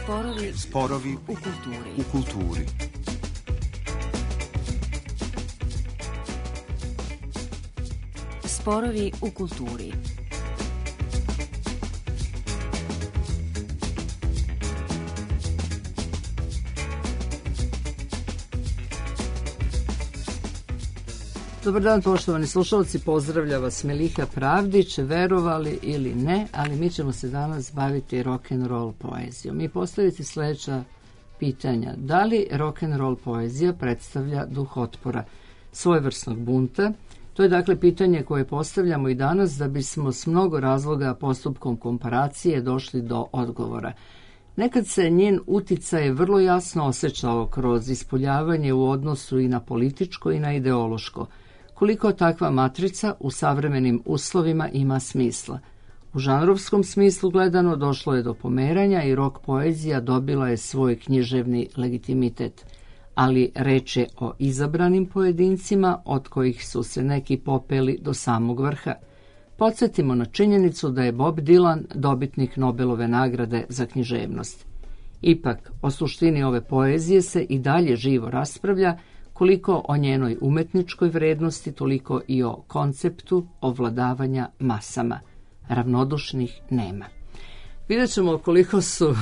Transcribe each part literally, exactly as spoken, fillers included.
Sporovi, Sporovi u kulturi. U kulturi. Sporovi u kulturi. Dobar dan, poštovani slušalci, pozdravlja vas Miliha Pravdić, verovali ili ne, ali mi ćemo se danas baviti rock'n'roll poezijom i postaviti sljedeća pitanja. Da li rock'n'roll poezija predstavlja duh otpora, svojevrsnog bunta? To je dakle pitanje koje postavljamo i danas da bismo s mnogo razloga postupkom komparacije došli do odgovora. Nekad se njen uticaj vrlo jasno osjećao kroz ispoljavanje u odnosu i na političko i na ideološko. Koliko takva matrica u savremenim uslovima ima smisla. U žanrovskom smislu gledano došlo je do pomeranja i rock poezija dobila je svoj književni legitimitet. Ali reč je o izabranim pojedincima od kojih su se neki popeli do samog vrha. Podsjetimo na činjenicu da je Bob Dylan dobitnik Nobelove nagrade za književnost. Ipak, o suštini ove poezije se i dalje živo raspravlja, koliko o njenoj umetničkoj vrednosti, toliko i o konceptu ovladavanja masama. Ravnodušnih nema. Vidjet ćemo koliko su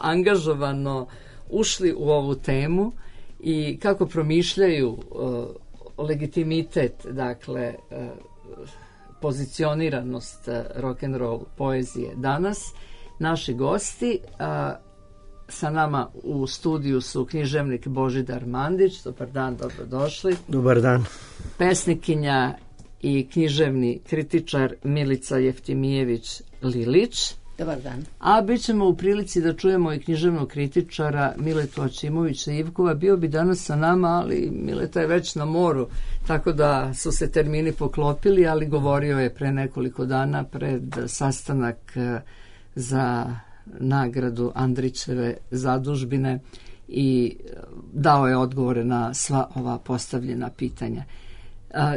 angažovano ušli u ovu temu i kako promišljaju uh, legitimitet, dakle, uh, pozicioniranost uh, rock'n'roll poezije danas. Naši gosti, uh, sa nama u studiju su književnik Božidar Mandić. Dobar dan, dobrodošli. Dobar dan. Pesnikinja i književni kritičar Milica Jeftimijević Lilić. Dobar dan. A bit ćemo u prilici da čujemo i književnog kritičara Miletu Ačimovića Ivkova. Bio bi danas sa nama, ali Mileta je već na moru, tako da su se termini poklopili, ali govorio je pre nekoliko dana pred sastanak za nagradu Andrićeve zadužbine i dao je odgovore na sva ova postavljena pitanja.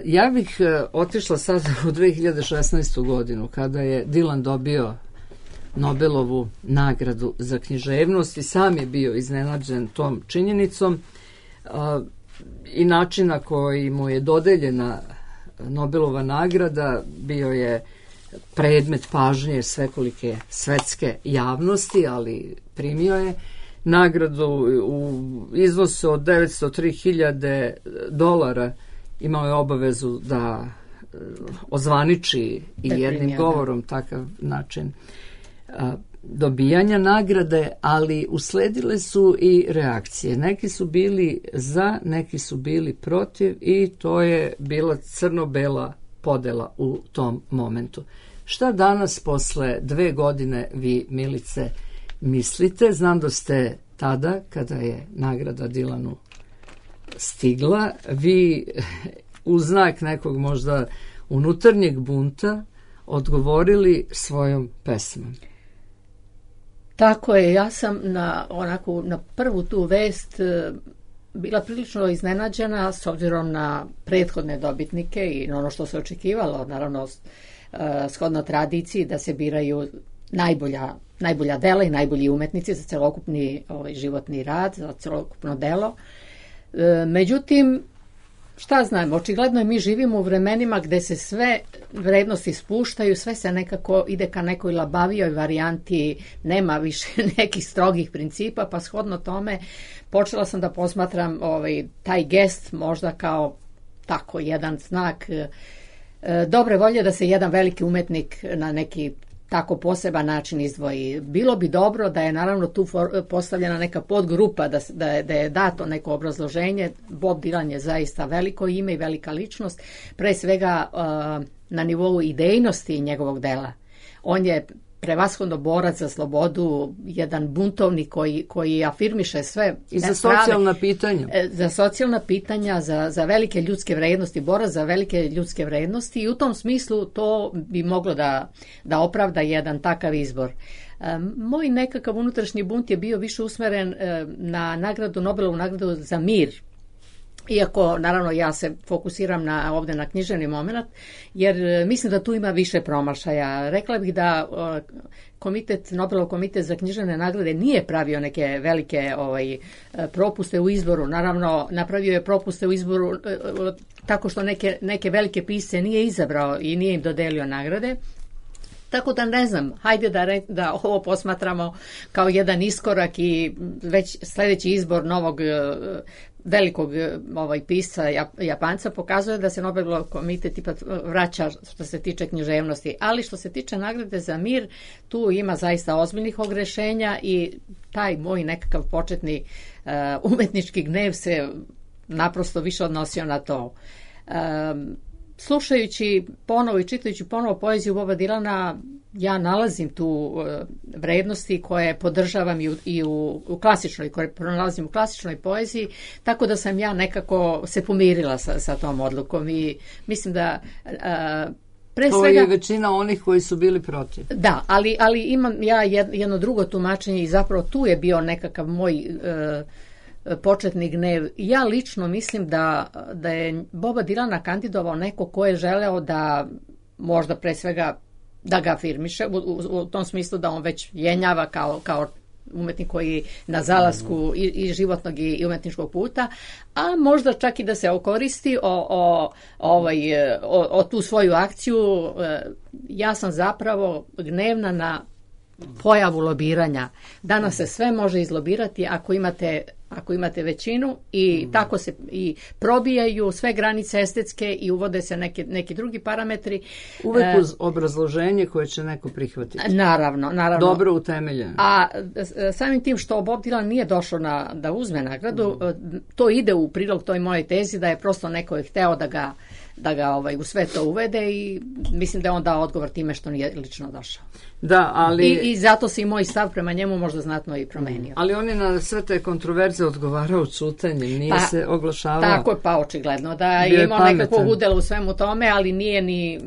Ja bih otišla sad u dve hiljade šesnaestu. godinu, kada je Dylan dobio Nobelovu nagradu za književnost i sam je bio iznenađen tom činjenicom i način na koji mu je dodeljena Nobelova nagrada bio je predmet pažnje svekolike svetske javnosti, ali primio je nagradu u iznosu od devetsto tri hiljade dolara. Imao je obavezu da ozvaniči i jednim govorom takav način dobijanja nagrade, ali usledile su i reakcije. Neki su bili za, neki su bili protiv i to je bila crno-bela podela u tom momentu. Šta danas posle dve godine vi, Milice, mislite? Znam da ste tada, kada je nagrada Dylanu stigla, vi u znak nekog možda unutarnjeg bunta odgovorili svojom pesmom. Tako je, ja sam na, onako, na prvu tu vest bila prilično iznenađena s obzirom na prethodne dobitnike i na ono što se očekivalo, naravno shodno tradiciji da se biraju najbolja, najbolja dela i najbolji umetnici za celokupni ovaj, životni rad, za celokupno delo. E, međutim, šta znam, očigledno je mi živimo u vremenima gde se sve vrednosti spuštaju, sve se nekako ide ka nekoj labavijoj varijanti, nema više nekih strogih principa, pa shodno tome počela sam da posmatram ovaj, taj gest možda kao tako jedan znak e, dobre volje da se jedan veliki umetnik na neki tako poseban način izdvoji. Bilo bi dobro da je naravno tu postavljena neka podgrupa, da, da, je, da je dato neko obrazloženje. Bob Dylan je zaista veliko ime i velika ličnost, pre svega uh, na nivou idejnosti njegovog dela. On je prevashodno borac za slobodu, jedan buntovnik koji, koji afirmiše sve. I za socijalna pitanja. Za socijalna pitanja, za, za velike ljudske vrednosti, borac za velike ljudske vrednosti i u tom smislu to bi moglo da, da opravda jedan takav izbor. Moj nekakav unutrašnji bunt je bio više usmeren na nagradu, Nobelovu nagradu za mir. Iako, naravno, ja se fokusiram na, ovdje na književni moment, jer mislim da tu ima više promašaja. Rekla bih da komitet, Nobelov komitet za književne nagrade nije pravio neke velike ovaj, propuste u izboru. Naravno, napravio je propuste u izboru tako što neke, neke velike pisce nije izabrao i nije im dodelio nagrade. Tako da ne znam, hajde da, re, da ovo posmatramo kao jedan iskorak i već sljedeći izbor novog velikog ovaj pisca Japanca pokazuje da se Nobelov komitet ipak vraća što se tiče književnosti, ali što se tiče nagrade za mir, tu ima zaista ozbiljnih ogrešenja i taj moj nekakav početni uh, umetnički gnev se naprosto više odnosio na to. Um, Slušajući ponovo i čitajući ponovo poeziju Boba Dilana, ja nalazim tu uh, vrednosti koje podržavam i u, i u, u klasičnoj, koje pronalazim u klasičnoj poeziji, tako da sam ja nekako se pomirila sa, sa tom odlukom i mislim da uh, pre to svega, je većina onih koji su bili protiv. Da, ali, ali imam ja jedno drugo tumačenje i zapravo tu je bio nekakav moj uh, početni gnev. Ja lično mislim da, da je Boba Dilana kandidovao neko ko je želeo da možda pre svega da ga afirmiše, u, u, u tom smislu da on već jenjava kao, kao umetnik koji na zalasku i, i životnog i, i umetničkog puta, a možda čak i da se okoristi o, o, ovaj, o, o tu svoju akciju. Ja sam zapravo gnevna na pojavu lobiranja. Danas se sve može izlobirati ako imate ako imate većinu i mm. tako se i probijaju sve granice estetske i uvode se neke, neki drugi parametri. Uvek uz obrazloženje koje će neko prihvatiti. Naravno, naravno. Dobro utemeljeno. A samim tim što Bob Dylan nije došao na, da uzme nagradu, mm. to ide u prilog toj mojoj tezi da je prosto neko je hteo da ga da ga ovaj, u sve to uvede i mislim da je on dao odgovor time što nije lično došao. Da, ali... I, I zato se i moj stav prema njemu možda znatno i promenio. Ali on je na sve te kontroverze odgovarao ćutanjem, nije pa, se oglašavao. Tako je, pa očigledno da je imao nekakvo udjelo u svemu tome, ali nije ni...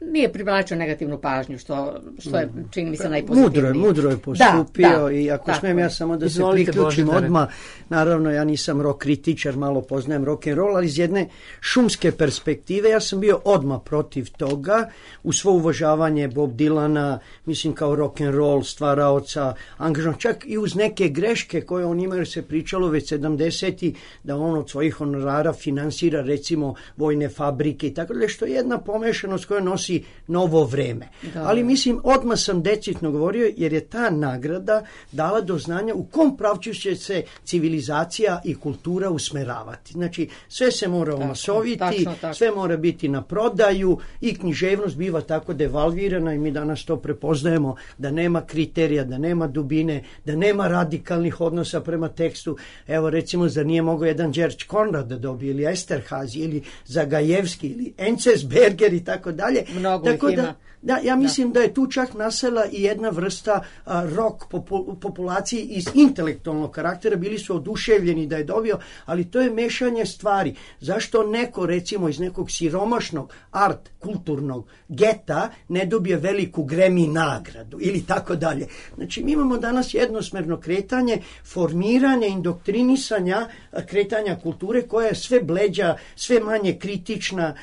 nije privlačio negativnu pažnju, što, što je, čini mi se, najpozitivnije. Mudro je, mudro je postupio da, da, i ako tako. smijem ja samo da Izvolite, se priključim Božidare. odmah, naravno ja nisam rock kritičar, malo poznajem rock and roll, ali iz jedne šumske perspektive ja sam bio odmah protiv toga, u svo uvažavanje Bob Dylana, mislim kao rock and roll stvaraoca, angažan, čak i uz neke greške koje on ima, jer se pričalo već sedamdesetih da on od svojih honorara finansira recimo vojne fabrike i tako da, što je jedna pomešanost koja nosi novo vreme. Da. Ali mislim, odmah sam decidno govorio jer je ta nagrada dala do znanja u kom pravcu će se civilizacija i kultura usmeravati. Znači, sve se mora omasoviti, tačno, tačno. Sve mora biti na prodaju i književnost biva tako devalvirana i mi danas to prepoznajemo da nema kriterija, da nema dubine, da nema radikalnih odnosa prema tekstu. Evo recimo, zar nije mogao jedan George Conrad da dobije ili Esterhazy ili Zagajevski ili Encesberger i tako dalje. Mnogo tako ih da, ima. Da, ja mislim da. da je tu čak nasela i jedna vrsta a, rock popu, populacije iz intelektualnog karaktera, bili su oduševljeni da je dobio, ali to je mešanje stvari. Zašto neko recimo iz nekog siromašnog art kulturnog geta ne dobije veliku Grammy nagradu ili tako dalje. Znači mi imamo danas jednosmerno kretanje, formiranje, indoktrinisanja kretanja kulture koja je sve bleđa, sve manje kritična,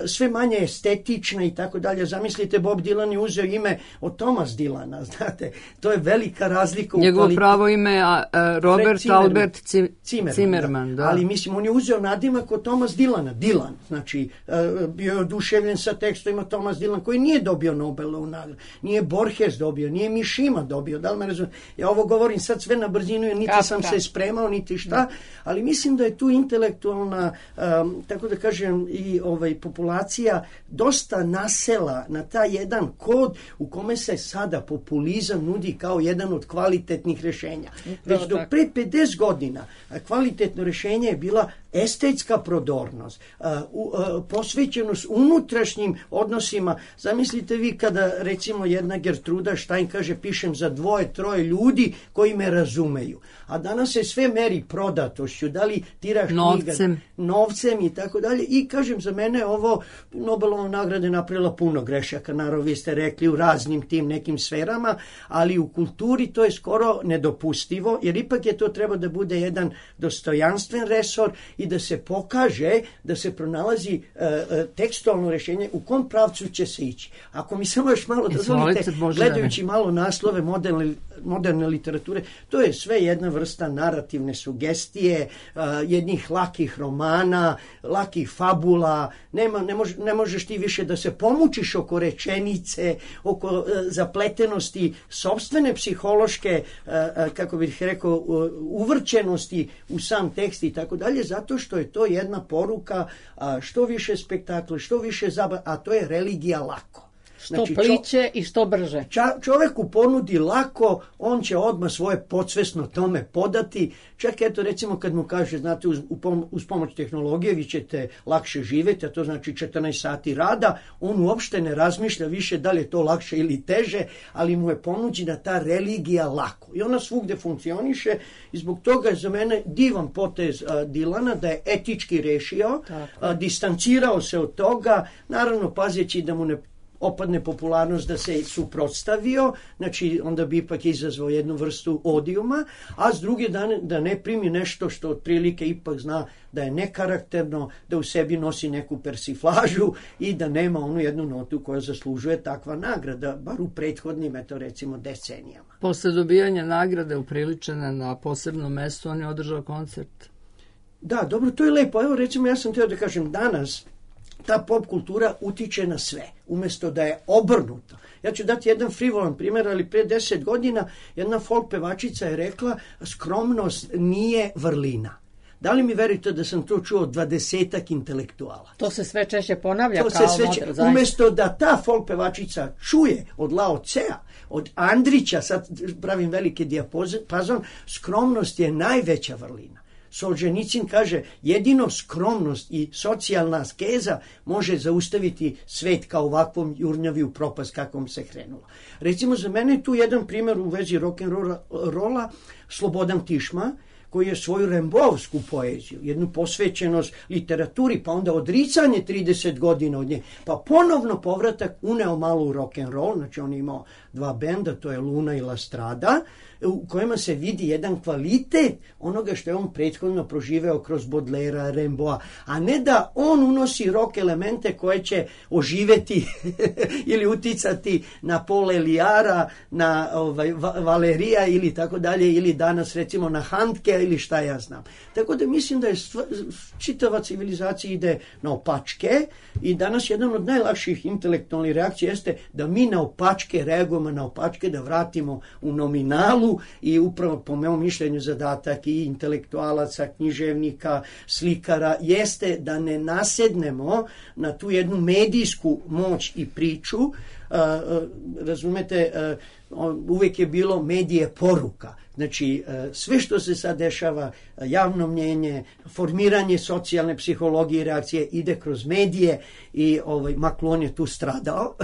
sve manje estetična i tako dalje. Zamislite, Bob Dylan je uzeo ime od Thomas Dylana, znate, to je velika razlika. Njegovo kvalitet... pravo ime a, a, Robert Zimmerman. Albert Cim... Zimmerman, Zimmerman, da. da. Ali mislim, on je uzeo nadimak od Thomas Dylana, Dylan, znači uh, bio je oduševljen sa tekstovima Thomas Dylan koji nije dobio Nobelovu nagradu, nije Borges dobio, nije Mishima dobio, da li me razumije? Ja ovo govorim sad sve na brzinu, jer niti Kapra. sam se spremao, niti šta, da. Ali mislim da je tu intelektualna, um, tako da kažem, i ovaj, populacija dosta nasela na taj jedan kod u kome se sada populizam nudi kao jedan od kvalitetnih rješenja. Već do pre pedeset godina kvalitetno rješenje je bila estetska prodornost, uh, uh, posvećenost unutrašnjim odnosima. Zamislite vi kada recimo jedna Gertruda Stein kaže pišem za dvoje, troje ljudi koji me razumeju. A danas se sve meri prodatošću, da li tiraš novcem. knjiga, novcem i tako dalje. I kažem, za mene ovo Nobelova nagrada estrada je napravila puno grešaka, naravno vi ste rekli u raznim tim nekim sferama, ali u kulturi to je skoro nedopustivo, jer ipak je to treba da bude jedan dostojanstven resor i da se pokaže, da se pronalazi uh, tekstualno rješenje u kom pravcu će se ići. Ako mi samo još malo dozvolite, gledajući malo naslove moderne, moderne literature, to je sve jedna vrsta narativne sugestije, uh, jednih lakih romana, lakih fabula, nema, ne, mož, ne možeš ti više da se pomučiš oko rečenice, oko uh, zapletenosti sopstvene psihološke, uh, uh, kako bih rekao, uh, uvrćenosti u sam tekst i tako dalje, zato što je to jedna poruka, uh, što više spektakla, što više zabava, a to je religija lako. Što znači, pliće čo, i što brže. Ča, čoveku ponudi lako, on će odmah svoje podsvesno tome podati. Čak eto recimo kad mu kaže, znate, uz, uz pomoć tehnologije vi ćete lakše živjeti, a to znači četrnaest sati rada, on uopšte ne razmišlja više da li je to lakše ili teže, ali mu je ponuđena ta religija lako. I ona svugde funkcioniše i zbog toga je za mene divan potez a, Dilana da je etički rešio, a, distancirao se od toga, naravno pazeći da mu ne opadne popularnost da se suprotstavio, znači onda bi ipak izazvao jednu vrstu odijuma, a s druge dane da ne primi nešto što otprilike ipak zna da je nekarakterno, da u sebi nosi neku persiflažu i da nema onu jednu notu koja zaslužuje takva nagrada, bar u prethodnim, eto recimo, decenijama. Posle dobijanja nagrade upriličene na posebnom mestu, on je održao koncert. Da, dobro, to je lepo. Evo recimo ja sam htio da kažem danas, ta pop kultura utiče na sve, umjesto da je obrnuto. Ja ću dati jedan frivolan primjer, ali pre deset godina jedna folk pevačica je rekla skromnost nije vrlina. Da li mi verite da sam to čuo od dvadesetak intelektuala? To se sve češće ponavlja to kao se sve model. Umjesto da ta folk pevačica čuje od Lao Tsea, od Andrića, sad pravim veliki dijapazon, skromnost je najveća vrlina. Solženicin kaže, jedino skromnost i socijalna askeza može zaustaviti svet kao ovakvom jurnjaviju propast kakvom se krenulo. Recimo, za mene je tu jedan primjer u vezi rock'n'rolla, Slobodan Tišma, koji je svoju rembovsku poeziju, jednu posvećenost literaturi, pa onda odricanje trideset godina od nje, pa ponovno povratak uneo malo u rock'n'roll, znači on je imao dva benda, to je Luna i La Strada, u kojima se vidi jedan kvalitet onoga što je on prethodno proživeo kroz Baudelaire, Rimbaud, a ne da on unosi rock elemente koje će oživeti ili uticati na Paul Eliara, na ovaj, Valerija ili tako dalje, ili danas recimo na Handke ili šta ja znam. Tako da mislim da je sv, čitava civilizacija ide na opačke i danas jedan od najlakših intelektualnih reakcija jeste da mi na opačke reagujemo, na opačke da vratimo u nominalu i upravo po mojom mišljenju zadatak i intelektualaca, književnika, slikara jeste da ne nasednemo na tu jednu medijsku moć i priču. Uh, uh, razumete, uh, uvijek je bilo medije poruka. Znači, sve što se sad dešava, javno mnjenje, formiranje socijalne psihologije i reakcije ide kroz medije i ovaj, Maklon je tu stradao,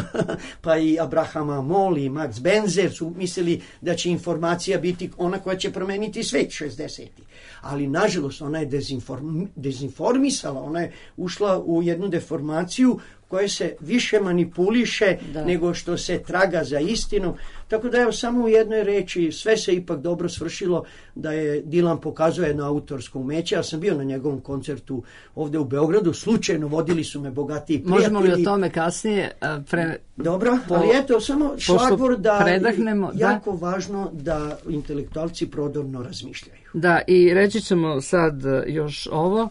pa i Abraham Amol i Max Benzer su mislili da će informacija biti ona koja će promeniti svet šezdesetih. Ali, nažalost, ona je dezinform, dezinformisala, ona je ušla u jednu deformaciju koje se više manipuliše da. nego što se traga za istinu. Tako da evo samo u jednoj reči sve se ipak dobro svršilo da je Dilan pokazuje jedno autorsko umeće. Ja sam bio na njegovom koncertu ovdje u Beogradu. Slučajno vodili su me bogatiji prijatelji. Možemo li o tome kasnije? Pre... Dobro, po... ali eto samo šlagvor da predahnemo, jako da. važno da intelektualci prodorno razmišljaju. Da, i reći ćemo sad još ovo,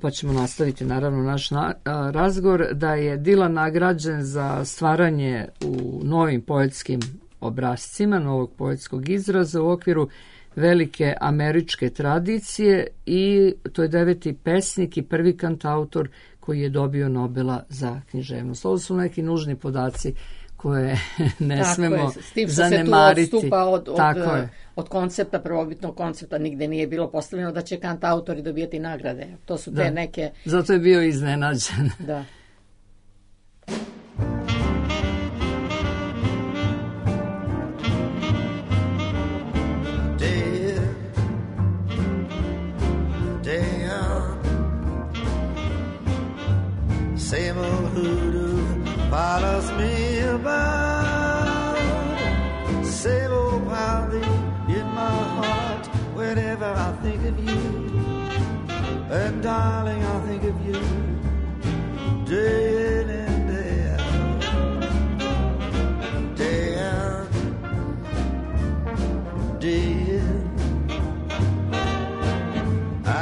pa ćemo nastaviti naravno naš na, a, razgovor, da je Dilan nagrađen za stvaranje u novim poetskim obrascima, novog poetskog izraza u okviru velike američke tradicije i to je deveti pesnik i prvi kantautor koji je dobio Nobela za književnost. Ovo su neki nužni podaci koje ne Tako smemo je, s tim što zanemariti. Se tu odstupa od, od, Tako je. od koncepta, prvobitnog koncepta, nigde nije bilo postavljeno da će kantautori dobijati nagrade. To su te da. neke... Zato je bio iznenađen. Da. Same old hoodoo follows me about. Same old pounding in my heart whenever I think of you. And darling, I think of you day in and day out, day out, day in.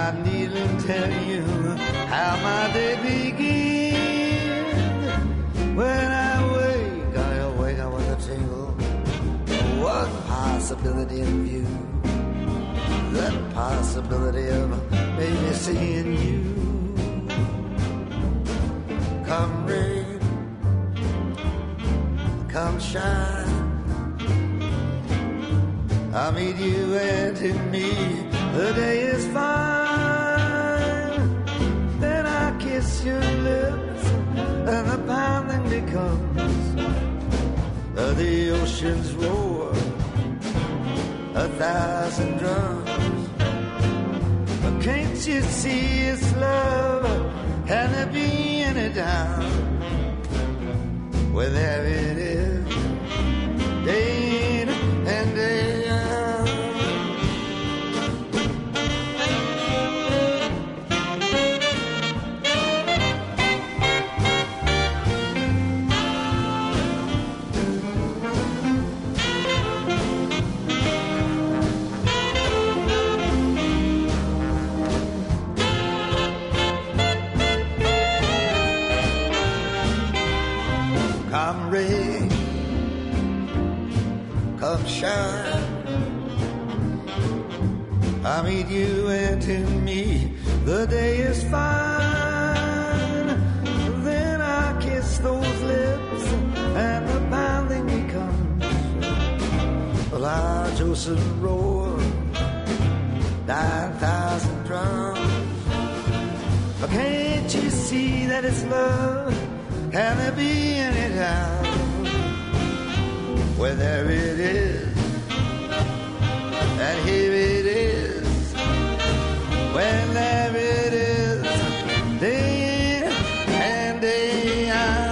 I needn't tell you how my day begins. When I wake, I wake up with a tingle. One possibility in view, the possibility of maybe seeing you. Come rain, come shine, I'll meet you, and in me the day is fine. Then I kiss your lips and the pounding becomes uh, the ocean's roar, a thousand drums. But can't you see it's love? Can there be any doubt? Well, there it is, day in and day out. Come rain, come shine, I meet you, and in me the day is fine. Then I kiss those lips and the pounding becomes a large ocean roar, nine thousand drums. But can't you see that it's love? Can there be any doubt? Well, there it is, and here it is. Well, there it is, day in and day out.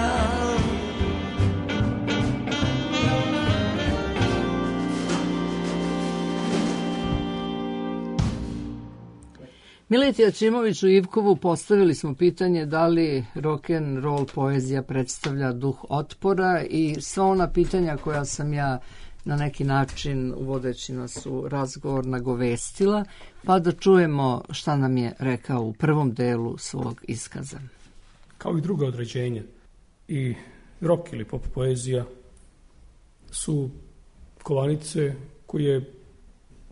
Mileti Ačimoviću Ivkovu postavili smo pitanje da li rock and roll poezija predstavlja duh otpora i sva ona pitanja koja sam ja na neki način uvodeći nas u razgovor nagovestila, pa da čujemo šta nam je rekao u prvom delu svog iskaza. Kao i druga određenja, i rock ili pop poezija su kovanice koje,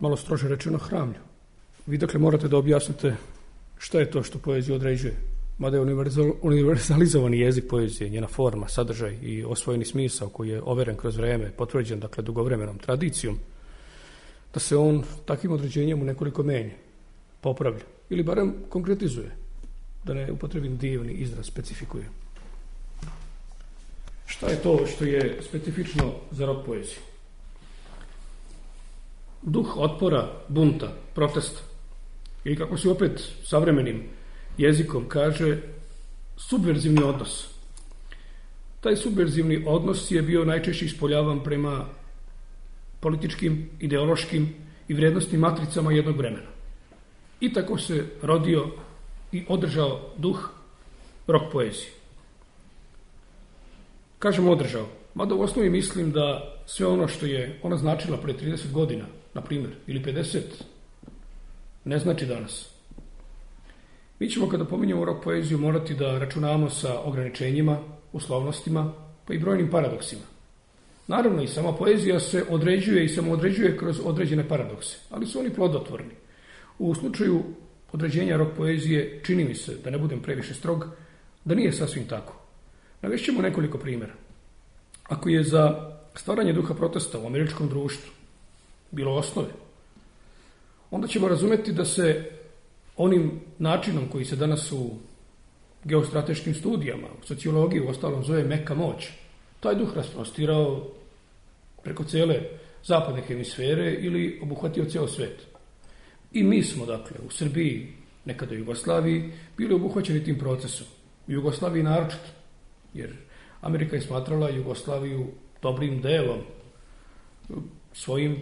malo strože rečeno, hramlju. Vi dakle morate da objasnite šta je to što poezija određuje. Mada je univerzalizovani jezik poezije, njena forma, sadržaj i osvojeni smisao koji je overen kroz vreme, potvrđen dakle dugovremenom tradicijom, da se on takvim određenjem u nekoliko menja, popravlja ili barem konkretizuje, da ne upotrebim divni izraz, specifikuje. Šta je to što je specifično za rock poeziju? Duh otpora, bunta, protesta ili kako se opet savremenim jezikom kaže, subverzivni odnos. Taj subverzivni odnos je bio najčešće ispoljavan prema političkim, ideološkim i vrijednostnim matricama jednog vremena. I tako se rodio i održao duh rock poezije. Kažem održao, mada u osnovi mislim da sve ono što je ona značila pre trideset godina, na primjer, ili pedeset, ne znači danas. Mi ćemo kada pominjemo rock poeziju morati da računamo sa ograničenjima, uslovnostima, pa i brojnim paradoksima. Naravno i sama poezija se određuje i samoodređuje kroz određene paradokse, ali su oni plodotvorni. U slučaju određenja rock poezije čini mi se, da ne budem previše strog, da nije sasvim tako. Navešćemo nekoliko primjera. Ako je za stvaranje duha protesta u američkom društvu bilo osnove, onda ćemo razumeti da se onim načinom koji se danas u geostrateškim studijama, u sociologiji u ostalom zove meka moć, taj duh rasprostirao preko cele zapadne hemisfere ili obuhvatio ceo svet. I mi smo, dakle, u Srbiji, nekada u Jugoslaviji, bili obuhvaćeni tim procesom. U Jugoslaviji naročito, jer Amerika je smatrala Jugoslaviju dobrim delom, svojim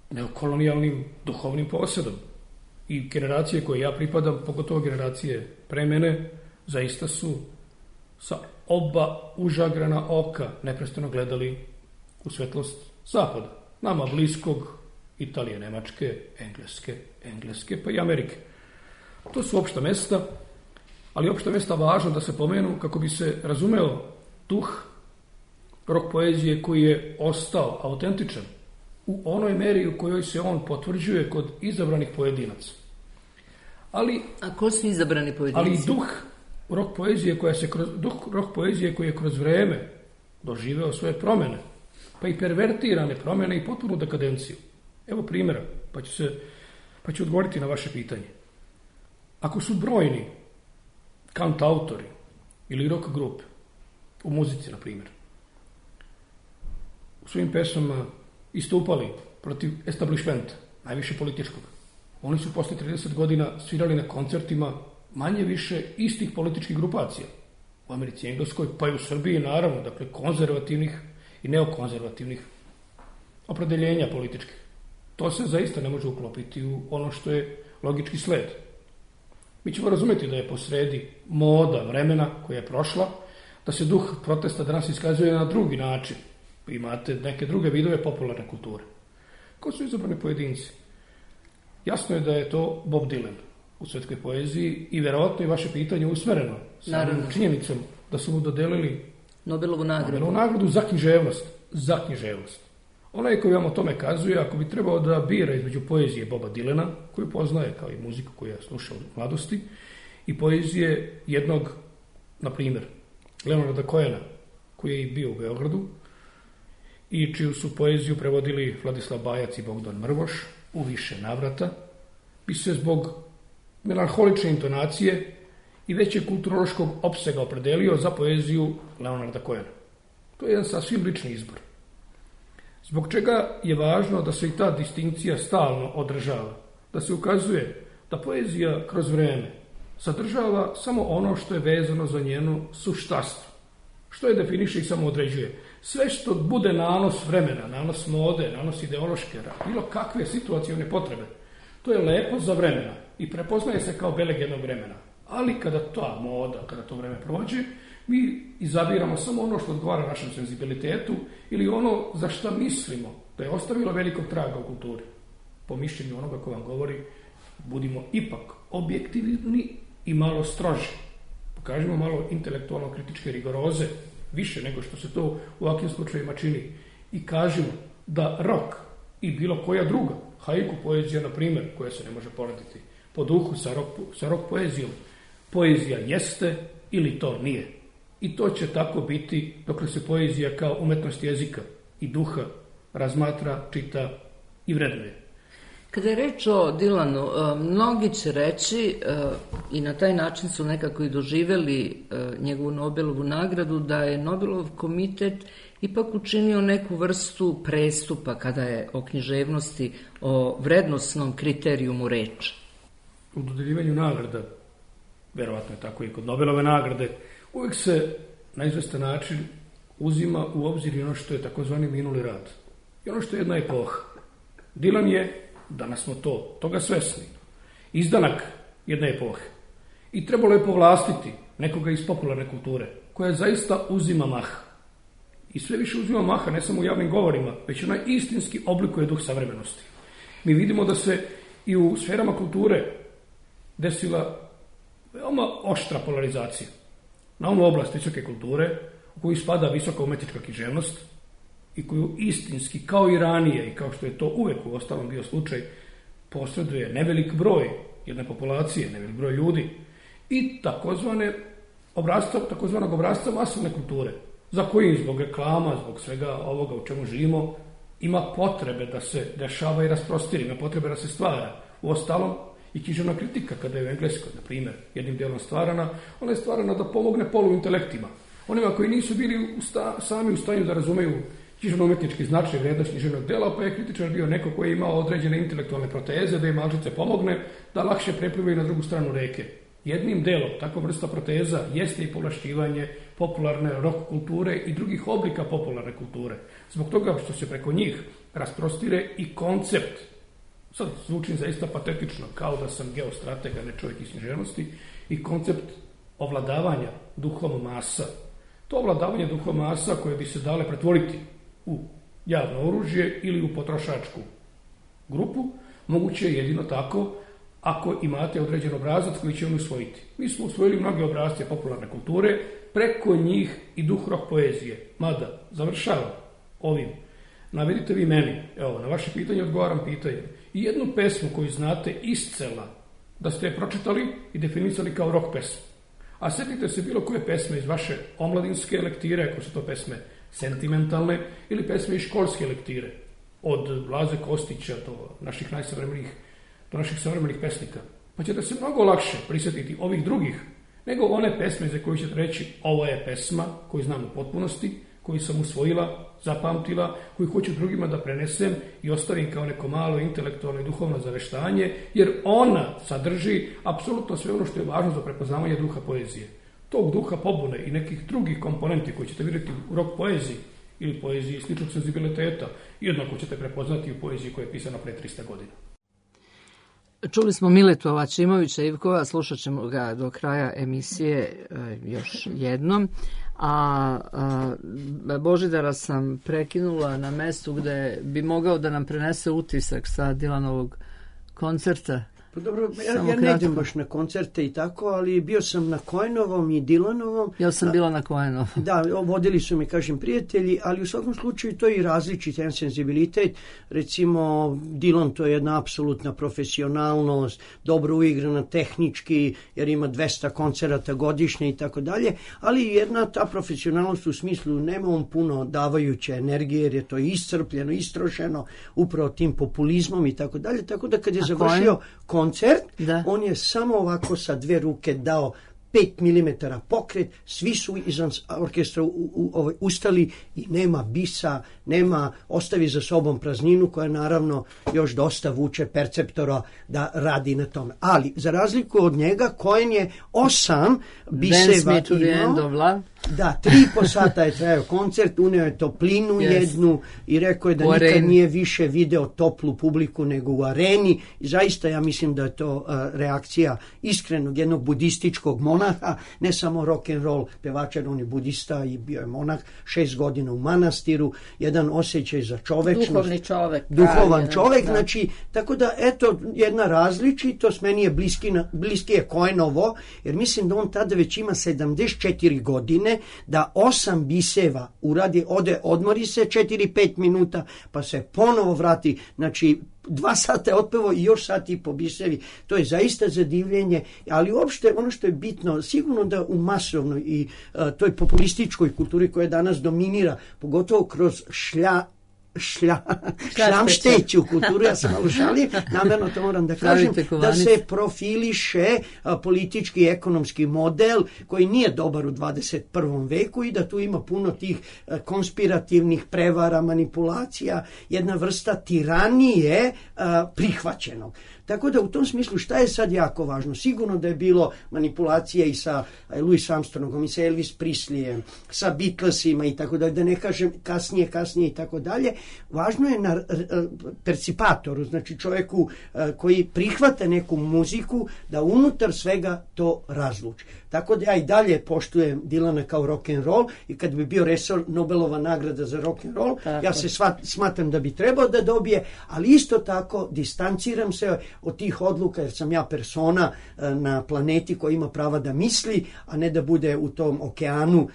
neokolonijalnim duhovnim posjedom. I generacije koje ja pripadam, pogotovo generacije pre mene, zaista su sa oba užagrana oka neprestano gledali u svetlost Zapada. Nama bliskog, Italije, Nemačke, Engleske, Engleske, pa i Amerike. To su opšta mesta, ali opšta mesta važno da se pomenu kako bi se razumeo duh rock poezije koji je ostao autentičan u onoj meri u kojoj se on potvrđuje kod izabranih pojedinaca. Ali, a ko su izabrani pojedinci? Ali duh rock poezije koja se kroz, duh rock poezije koji je kroz vreme doživeo svoje promene, pa i pervertirane promene i potpunu dekadenciju. Evo primjera, pa ću, se, pa ću odgovoriti na vaše pitanje. Ako su brojni kantautori ili rock grupe u muzici, na primjer, u svojim pesmama istupali protiv establishmenta, najviše političkog, oni su posle trideset godina svirali na koncertima manje više istih političkih grupacija. U Americi, Engleskoj, pa i u Srbiji, naravno, dakle, konzervativnih i neokonzervativnih opredeljenja političkih. To se zaista ne može uklopiti u ono što je logički sled. Mi ćemo razumjeti da je posredi moda vremena koja je prošla, da se duh protesta danas iskazuje na drugi način. Imate neke druge vidove popularne kulture. Ko su izabrani pojedinci? Jasno je da je to Bob Dylan u svetskoj poeziji i verovatno i vaše pitanje usmereno samim činjenicom da su mu dodelili Nobelovu nagradu. Nobelovu nagradu za književnost. Za književnost. Onaj koji vam o tome kazuje, ako bi trebao da bira između poezije Boba Dylana, koju poznaje kao i muziku koju je slušao u mladosti, i poezije jednog, na primjer, Leonarda Cohena, koji je i bio u Beogradu, i čiju su poeziju prevodili Vladislav Bajac i Bogdan Mrvoš u više navrata, bi se zbog melanholične intonacije i većeg kulturološkog opsega opredelio za poeziju Leonarda Cohena. To je jedan sasvim lični izbor. Zbog čega je važno da se i ta distinkcija stalno održava, da se ukazuje da poezija kroz vreme sadržava samo ono što je vezano za njenu suštastvo, što je definiše i samo određuje. Sve što bude nanos vremena, nanos mode, nanos ideološke, bilo kakve situacijone potrebe, to je lepo za vremena i prepoznaje se kao beleg jednog vremena. Ali kada ta moda, kada to vreme prođe, mi izabiramo samo ono što odgovara našem senzibilitetu ili ono za šta mislimo da je ostavilo velikog traga u kulturi. Po mišljenju onoga ko vam govori, budimo ipak objektivni i malo stroži. Pokažemo malo intelektualno kritičke rigoroze, više nego što se to u ovakvim slučajima čini. I kažemo da rock i bilo koja druga, haiku poezija, na primjer, koja se ne može porediti po duhu sa rock, sa rock poezijom, poezija jeste ili to nije. I to će tako biti dok se poezija kao umetnost jezika i duha razmatra, čita i vrednuje. Kada je reč o Dylanu, mnogi će reći, i na taj način su nekako i doživjeli njegovu Nobelovu nagradu, da je Nobelov komitet ipak učinio neku vrstu prestupa kada je o književnosti, o vrednosnom kriterijumu reč. U dodeljivanju nagrada, verovatno je tako i kod Nobelove nagrade, uvijek se na izvestan način uzima u obzir i ono što je takozvani minuli rad. I ono što je jedna epoha. Dylan je, danas smo to, toga svesni, izdanak jedne epohe. I trebalo je povlastiti nekoga iz popularne kulture, koja zaista uzima maha. I sve više uzima maha, ne samo u javnim govorima, već ona istinski oblikuje duh savremenosti. Mi vidimo da se i u sferama kulture desila veoma oštra polarizacija. Na onu oblast visoke kulture, u koju spada visoka umetnička književnost i koju istinski, kao i ranije, i kao što je to uvek u ostalom bio slučaj, posreduje nevelik broj jedne populacije, nevelik broj ljudi, i takozvane obrazca, takozvanog obrazca masovne kulture, za koji zbog reklama, zbog svega ovoga u čemu živimo, ima potrebe da se dešava i rasprostiri, ima potrebe da se stvara. U ostalom, i književna kritika, kada je u Engleskoj, na primjer, jednim dijelom stvarana, ona je stvarana da pomogne poluintelektima. Onima koji nisu bili u sta, sami u stanju da razumeju književno-umetnički značaj vrijednost književnog dela, pa je kritičar bio neko koji je imao određene intelektualne proteze, da im malčice pomogne, da lakše preplivaju na drugu stranu reke. Jednim delom takva vrsta proteza jeste i povlašćivanje popularne rock kulture i drugih oblika popularne kulture. Zbog toga što se preko njih rasprostire i koncept, sad zvučim zaista patetično, kao da sam geostrateg, a ne čovjek iz književnosti, i koncept ovladavanja duhom masa. To ovladavanje duhom masa koje bi se dale pretvoriti u javno oružje ili u potrošačku grupu, moguće je jedino tako ako imate određen obrazac koji će on usvojiti. Mi smo usvojili mnoge obrazce popularne kulture, preko njih i duh rock poezije. Mada, završavam ovim. Navedite vi meni, evo, na vaše pitanje odgovaram pitanje. I jednu pesmu koju znate iscela, da ste je pročitali i definisali kao rock pesmu. A sjetite se bilo koje pesme iz vaše omladinske lektire, ako su to pesme sentimentalne, ili pesme iz školske lektire, od Blaze Kostića do naših najsavremenijih, do naših savremenih pesnika. Pa ćete se mnogo lakše prisjetiti ovih drugih, nego one pesme za koje ćete reći ovo je pesma koju znam u potpunosti, koju sam usvojila, zapamtila, koju hoću drugima da prenesem i ostavim kao neko malo intelektualno i duhovno zaveštanje, jer ona sadrži apsolutno sve ono što je važno za prepoznavanje duha poezije. Tog duha pobune i nekih drugih komponenti koji ćete vidjeti u rock poeziji ili poeziji sličnog senzibiliteta, jednako ćete prepoznati u poeziji koja je pisana pre trista godina. Čuli smo Miletu Alačimovića Ivkova, slušat ćemo ga do kraja emisije još jednom. A, a Božidara sam prekinula na mestu gde bi mogao da nam prenese utisak sa Dylanovog koncerta. Pa dobro, ja, ja ne idem baš na koncerte i tako, ali bio sam na Cohenovom i Dylanovom. Ja sam bila na Cohenovom. Da, vodili su me, kažem, prijatelji, ali u svakom slučaju to je i različit jedan senzibilitet. Recimo, Dylan to je jedna apsolutna profesionalnost, dobro uigrana tehnički, jer ima dvesta koncerata godišnje i tako dalje, ali jedna ta profesionalnost u smislu nema on puno davajuće energije, jer je to iscrpljeno, istrošeno, upravo tim populizmom i tako dalje, tako da kad je A završio koncert, da. On je samo ovako sa dve ruke dao pet milimetara pokret, svi su izvan orkestra u, u, u, ustali i nema bisa, nema, ostavi za sobom prazninu koja naravno još dosta vuče perceptora da radi na tome. Ali, za razliku od njega, Cohen je osam biseva imao. Da, tri i po sata je trajao koncert, uneo je toplinu yes. jednu i rekao je da u nikad areni. Nije više video toplu publiku nego u areni. I zaista ja mislim da je to uh, reakcija iskrenog jednog budističkog monaha, ne samo rock and roll pevača, on je budista i bio je monah, šest godina u manastiru, jedan osjećaj za čovečnost. Duhovni čovek. Duhovan pravi, čovek, da. Znači, tako da, eto, jedna različitost, meni je bliski, bliski je Cohenovo, jer mislim da on tada već ima sedamdeset četiri godine, da osam biseva uradi, ode, odmori se četiri pet minuta, pa se ponovo vrati, znači dva sata je otpevo i još sat i po bisevi. To je zaista zadivljenje, ali uopšte ono što je bitno, sigurno da u masovnoj i uh, toj populističkoj kulturi koja danas dominira, pogotovo kroz šlja šlja, šlamšteću kulturu, ja sam malo šalim, namjerno to moram da kažem, da se profiliše a, politički i ekonomski model koji nije dobar u dvadeset prvom veku i da tu ima puno tih a, konspirativnih prevara, manipulacija, jedna vrsta tiranije a, prihvaćenog. Tako da u tom smislu šta je sad jako važno? Sigurno da je bilo manipulacija i sa Louis Armstrongom i sa Elvis Presleyem, sa Beatlesima i tako dalje, da ne kažem kasnije, kasnije i tako dalje. Važno je na percipatoru, znači čovjeku koji prihvata neku muziku, da unutar svega to razluči. Tako da ja i dalje poštujem Dylana kao rock and roll i kad bi bio resor Nobelova nagrada za rock and roll, tako. Ja se svat, smatram da bi trebao da dobije, ali isto tako distanciram se od tih odluka jer sam ja persona na planeti koja ima prava da misli, a ne da bude u tom okeanu,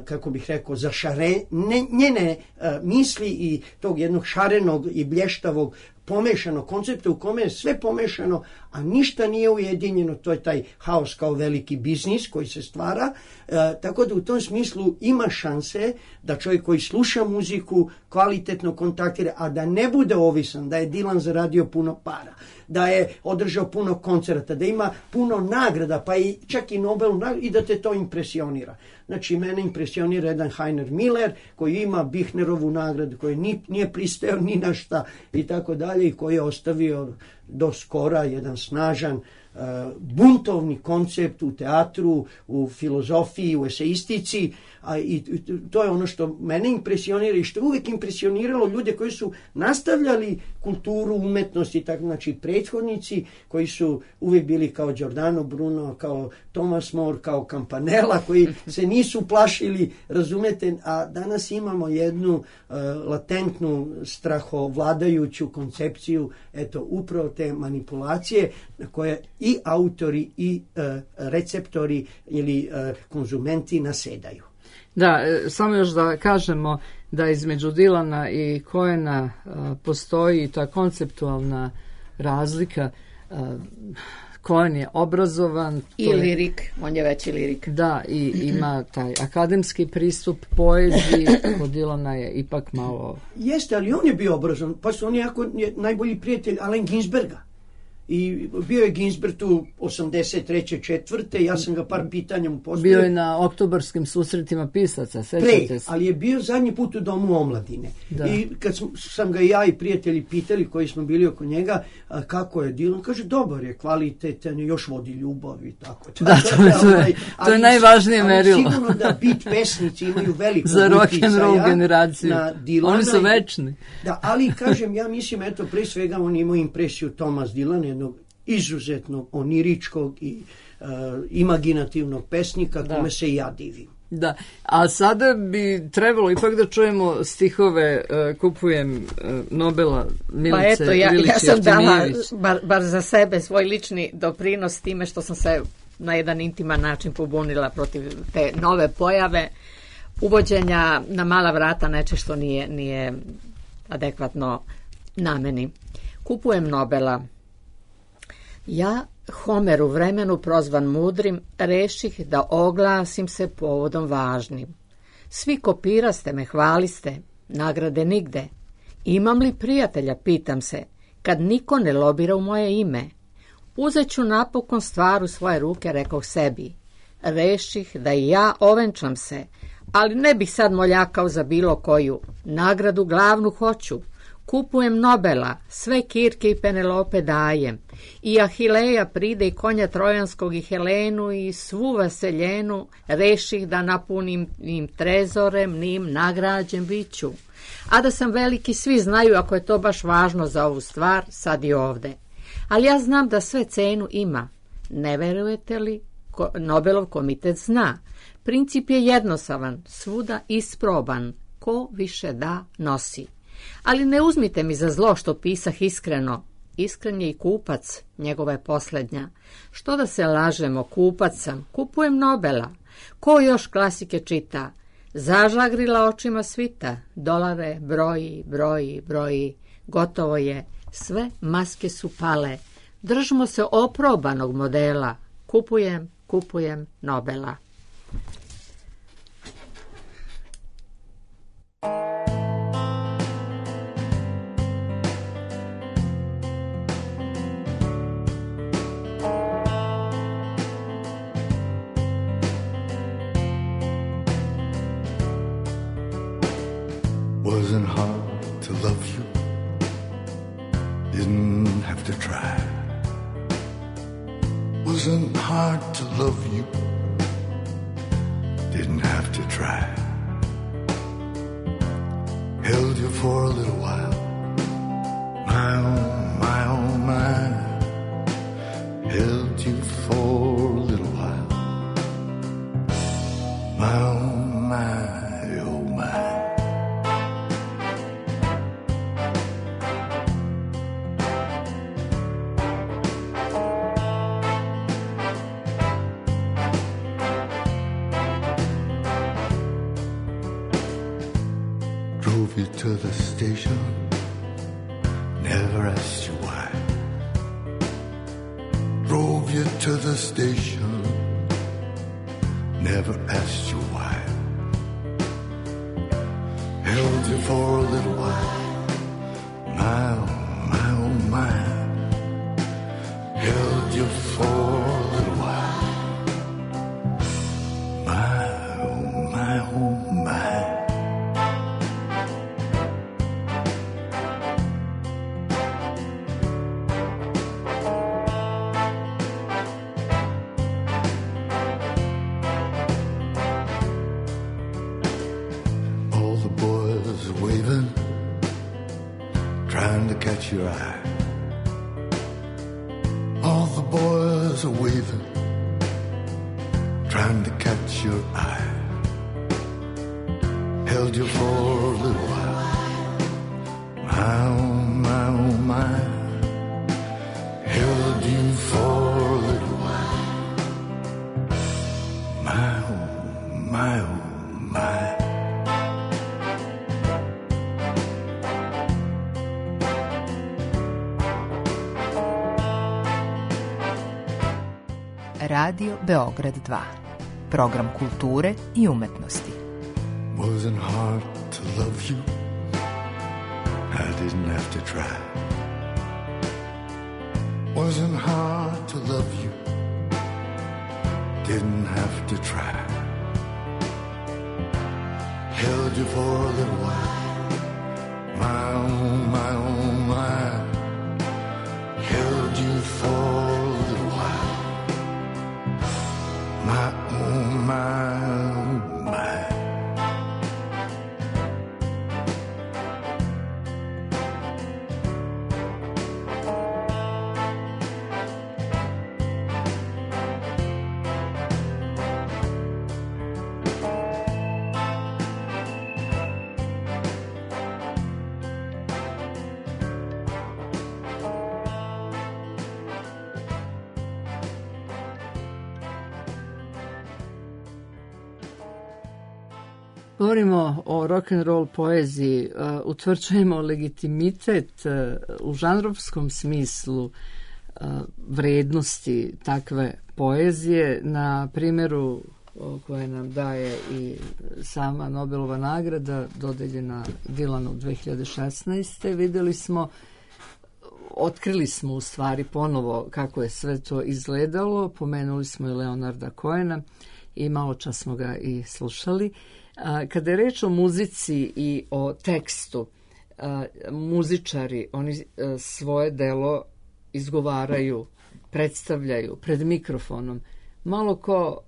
kako bih rekao, zašare, ne, njene misli i tog jednog šarenog i blještavog pomešano koncepta u kome je sve pomešano, a ništa nije ujedinjeno, to je taj haos kao veliki biznis koji se stvara, e, tako da u tom smislu ima šanse da čovjek koji sluša muziku kvalitetno kontaktira, a da ne bude ovisan, da je Dylan zaradio puno para, da je održao puno koncerta, da ima puno nagrada, pa i čak i Nobelu nagradu i da te to impresionira. Znači, mene impresionira jedan Heiner Miller koji ima Bihnerovu nagradu, koji ni, nije pristao ni na šta i tako dalje i koji je ostavio do skora jedan snažan buntovni koncept u teatru, u filozofiji, u eseistici, a i to je ono što mene impresionira i što je uvijek impresioniralo ljude koji su nastavljali kulturu, umetnost i tako, znači prethodnici koji su uvijek bili kao Giordano Bruno, kao Thomas More, kao Campanella, koji se nisu plašili, razumete, a danas imamo jednu uh, latentnu strahovladajuću koncepciju, eto, upravo te manipulacije koje i autori i uh, receptori ili uh, konzumenti nasedaju. Da, samo još da kažemo da između Dilana i Cohena uh, postoji ta konceptualna razlika. Uh, Cohen je obrazovan. I je, lirik, on je veći lirik. Da, i ima taj akademski pristup poeziji, kod Dilana je ipak malo... Jeste, ali on je bio obrazovan, pa su on jako je najbolji prijatelj Allen Ginsberga. I bio je Ginsberg tu osamdeset treće četvrte ja sam ga par pitanja mu postavio. Bio je na oktobarskim susretima pisaca, sećate Pre, se. ali je bio zadnji put u Domu omladine. Da. I kad sam, sam ga ja i prijatelji pitali koji smo bili oko njega, a, kako je Dylan, kaže dobar je, kvalitetan, još vodi ljubav i tako. Da, to, je, to, je, ali, to je najvažnije merilo. Ali sigurno da beat pesnici imaju veliko za rock and roll generaciju. Na Dylana. Oni su večni. Da, ali kažem, ja mislim, eto, pre svega on imao impresiju Thomas Dylan, jednog izuzetnog oniričkog i uh, imaginativnog pesnika, da, kome se i ja divim. Da, a sada bi trebalo ipak da čujemo stihove uh, Kupujem uh, Nobela Milice Lilić. Pa eto, ja, ja sam dala, bar, bar za sebe, svoj lični doprinos time što sam se na jedan intiman način pobunila protiv te nove pojave uvođenja na mala vrata neče što nije, nije adekvatno nameni. Kupujem Nobela. Ja, Homer u vremenu prozvan mudrim, reših da oglasim se povodom važnim. Svi kopiraste me, hvaliste, nagrade nigde. Imam li prijatelja, pitam se, kad niko ne lobira u moje ime? Uzet ću napokon stvar u svoje ruke, rekao sebi. Reših da i ja ovenčam se, ali ne bih sad moljakao za bilo koju. Nagradu glavnu hoću. Kupujem Nobela, sve Kirke i Penelope dajem, i Ahileja pride i konja Trojanskog i Helenu i svu vaseljenu, reših da napunim im trezorem, nim nagrađen biću. A da sam veliki svi znaju, ako je to baš važno za ovu stvar, sad i ovde. Ali ja znam da sve cenu ima. Ne verujete li? Ko, Nobelov komitet zna. Princip je jednostavan, svuda isproban. Ko više da, nosi. Ali ne uzmite mi za zlo što pisah iskreno. Iskren je i kupac, njegova je posljednja. Što da se lažemo, kupac sam, kupujem Nobela. Ko još klasike čita? Zažagrila očima svita, dolare broji, broji, broji. Gotovo je, sve maske su pale. Držimo se oprobanog modela. Kupujem, kupujem Nobela. Wasn't hard to love you, didn't have to try. Wasn't hard to love you, didn't have to try. Held you for a little while, my oh, my oh, my. Held you for a little while, my oh, my, oh, my. Drove you to the station, never asked you why. Drove you to the station, never asked you why. Held you for a little while, my oh, my oh, my. Held you for a little while, my oh, my oh, my. the boys are waving, trying to catch your eye. All the boys are waving, trying to catch your eye. Held you for a little while, my oh my oh my. Held you for a little while, my oh my oh my. Radio Beograd dva. Program kulture i umetnosti. Wasn't hard to love you, I didn't have to try. Wasn't hard to love you, didn't have to try. Held you for a little while, my oh my oh my. Held you for a little while, my oh my oh my. Govorimo o rock and roll poeziji, uh, utvrđujemo legitimitet uh, u žanrovskom smislu uh, vrednosti takve poezije na primjeru koje nam daje i sama Nobelova nagrada dodeljena Dylanu dve hiljade šesnaeste. Videli smo, otkrili smo u stvari ponovo kako je sve to izgledalo, pomenuli smo i Leonarda Cohena i malo čas smo ga i slušali. Kada je reč o muzici i o tekstu, muzičari, oni svoje delo izgovaraju, predstavljaju pred mikrofonom. Malo ko,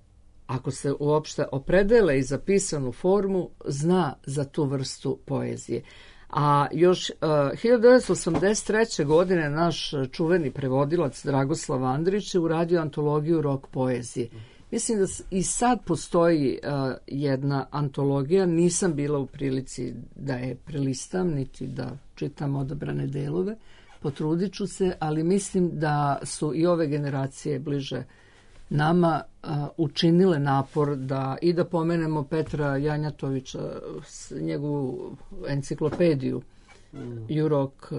ako se uopšte opredele i za pisanu formu, zna za tu vrstu poezije. A još uh, hiljadu devetsto osamdeset treće. godine naš čuveni prevodilac Dragoslav Andrić je uradio antologiju rock poezije. Mislim da i sad postoji uh, jedna antologija, nisam bila u prilici da je prelistam, niti da čitam odabrane delove, potrudit ću se, ali mislim da su i ove generacije bliže nama uh, učinile napor da i da pomenemo Petra Janjatovića, njegovu enciklopediju, mm. Jurok